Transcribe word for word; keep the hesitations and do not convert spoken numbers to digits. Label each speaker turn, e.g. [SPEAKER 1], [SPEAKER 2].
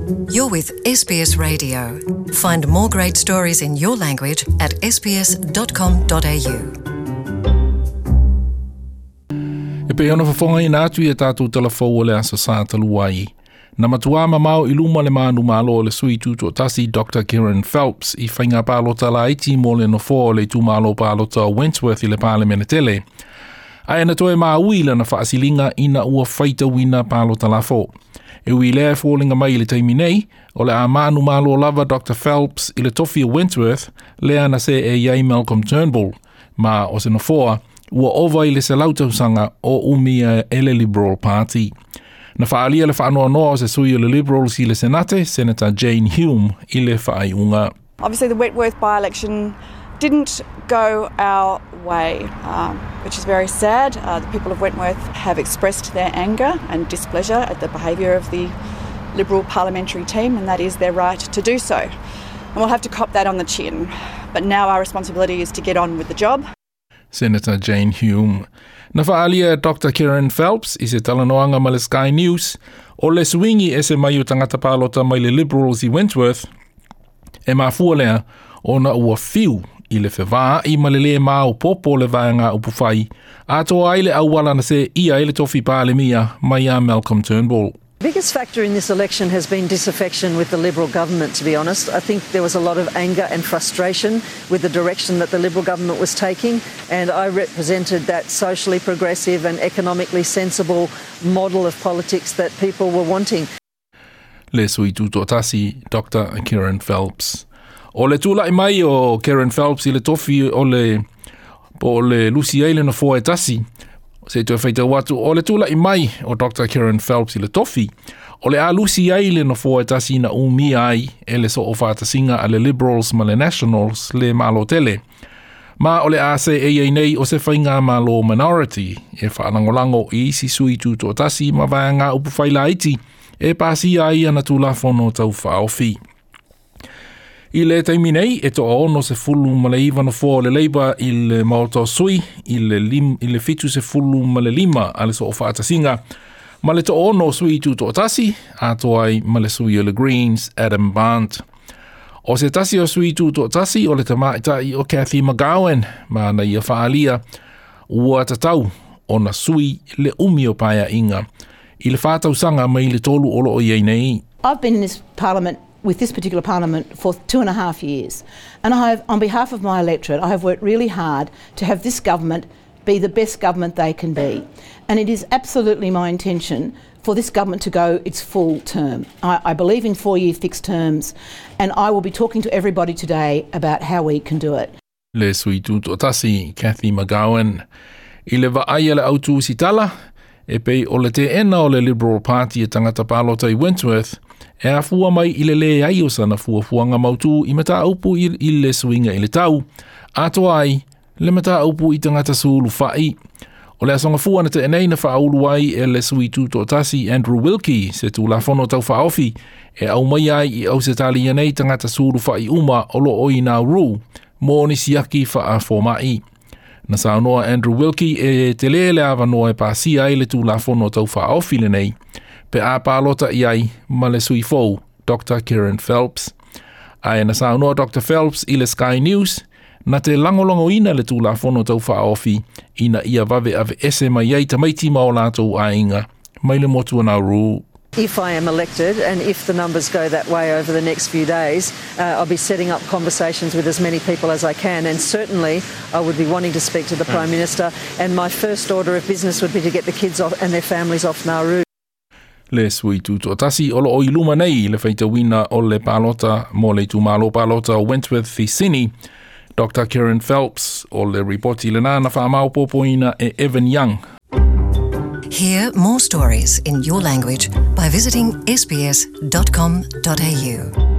[SPEAKER 1] You're with S B S Radio. Find more great stories in your language at S B S dot com dot A U.
[SPEAKER 2] E pei ona fofogaina atu i a tatou talafou o le Aso Sa talu ai. Na matuā mamao i luma le manumalo o le sui tutoatasi Doctor Kerryn Phelps i faiga palota laiti mo le nofoa o le itumalo palota o Wentworth i le Palemene tele. Ae na toe maui lana faasiliga ina ua faitauina palota lafo. E ui lea foliga mai i le taimi nei, o le a manumalo lava Doctor Phelps i le tofi o Wentworth, lea na seei ai Malcolm Turnbull, ma o se nofoa ua ova i le selau tausaga o umia e le Liberal Party. Na faalia le faanoanoa o se sui o le Liberals i le Senate, Senator Jane Hume, i le faaiuga.
[SPEAKER 3] Obviously, the Wentworth by-election didn't go our way, um, which is very sad. Uh, the people of Wentworth have expressed their anger and displeasure at the behaviour of the Liberal parliamentary team, and that is their right to do so. And we'll have to cop that on the chin. But now our responsibility is to get on with the job.
[SPEAKER 2] Senator Jane Hume. Na faalia Doctor Kerryn Phelps i se talanoaga ma le Sky News o le suiga ese mai o tagata palota mai le Liberals i Wentworth e mafua lea ona ua fiu i le fevaa'i ma le lē maopoopo le vaega upufai atoa ai le auala na seia ai le tofi palemia mai ia Malcolm Turnbull.
[SPEAKER 4] Biggest factor in this election has been disaffection with the Liberal government, to be honest. I think there was a lot of anger and frustration with the direction that the Liberal government was taking, and I represented that socially progressive and economically sensible model of politics that people were wanting.
[SPEAKER 2] Le sui tutoatasi Doctor Kerryn Phelps. O le tula'i mai o Kerryn Phelps i le tofi o le po o le lusi ai le nofoa e tasi se toe faitau atu o le tula'i mai o Doctor Kerryn Phelps i le tofi o le a lusi ai le nofoa e tasi na umia ai e le soofatasiga a le Liberals ma le Nationals le malo tele. Ma o le a seei ai nei o se faigamalo minority e faalagolago i isi sui tutoatasi ma vaega upufai laiti e pasia ai ana tulafono taufaaofi. I le taimi nei, e toaono sefulu ma le iva nofoa o le Labour i le maota o sui, i le, lim, i le fitu sefulu ma le lima a le soofaatasiga, ma le toaono sui tutoatasi, atoa ai ma le sui o le Greens, Adam Bandt. O se tasi o sui tutoatasi o le tamaitai o Cathy McGowan, ma na ia faalia, ua tatau ona sui le umi o paeaiga i le whātau sanga mai le tolu o loo iai nei.
[SPEAKER 5] I've been in this parliament with this particular parliament for two and a half years. And I have, on behalf of my electorate, I have worked really hard to have this government be the best government they can be. And it is absolutely my intention for this government to go its full term. I, I believe in four year fixed terms, and I will be talking to everybody today about how we can do it.
[SPEAKER 2] Le sui tutoatasi Cathy McGowan. I le vaai a le au tusitala, e pei o le teena o le Liberal Party e tagata palota i Wentworth, e afua mai i le leai o sana fuafuaga mautū i mataupu i, i le suiga i le tau, atoa ai le mataupu i tagata sulufai. O le aso Gafua na tea nei na faaulu ai e le sui tutoatasi Andrew Wilkie se tulafono taufaaofi e aumai ai i Ausetalia nei tagata sulufai uma o loo i Nauru mo ni siaki faafoma'i. Na saunoa Andrew Wilkie e tele le avanoa e pasia ai le tulafono taufaaofi lenei pe a palota i ai ma le sui fou Doctor Kerryn Phelps. Ae na saunoa Doctor Phelps i le Sky News na te lagolagoina le tulafono taufaaofi ina ia vave aveese mai ai tamaiti ma o latou aiga mai le motu o Nauru.
[SPEAKER 4] If I am elected and if the numbers go that way over the next few days, uh, I'll be setting up conversations with as many people as I can. And certainly I would be wanting to speak to the Prime Minister. And my first order of business would be to get the kids off and their families off Nauru.
[SPEAKER 2] Le sui tutoatasi o loo i luma nei le faitauina o le palota mo le itumalo palota o Wentworth i Sydney. Doctor Kerryn Phelps o le ripoti lena na faamaopoopoina e Evan Young.
[SPEAKER 1] Hear more stories in your language by visiting S B S dot com dot A U.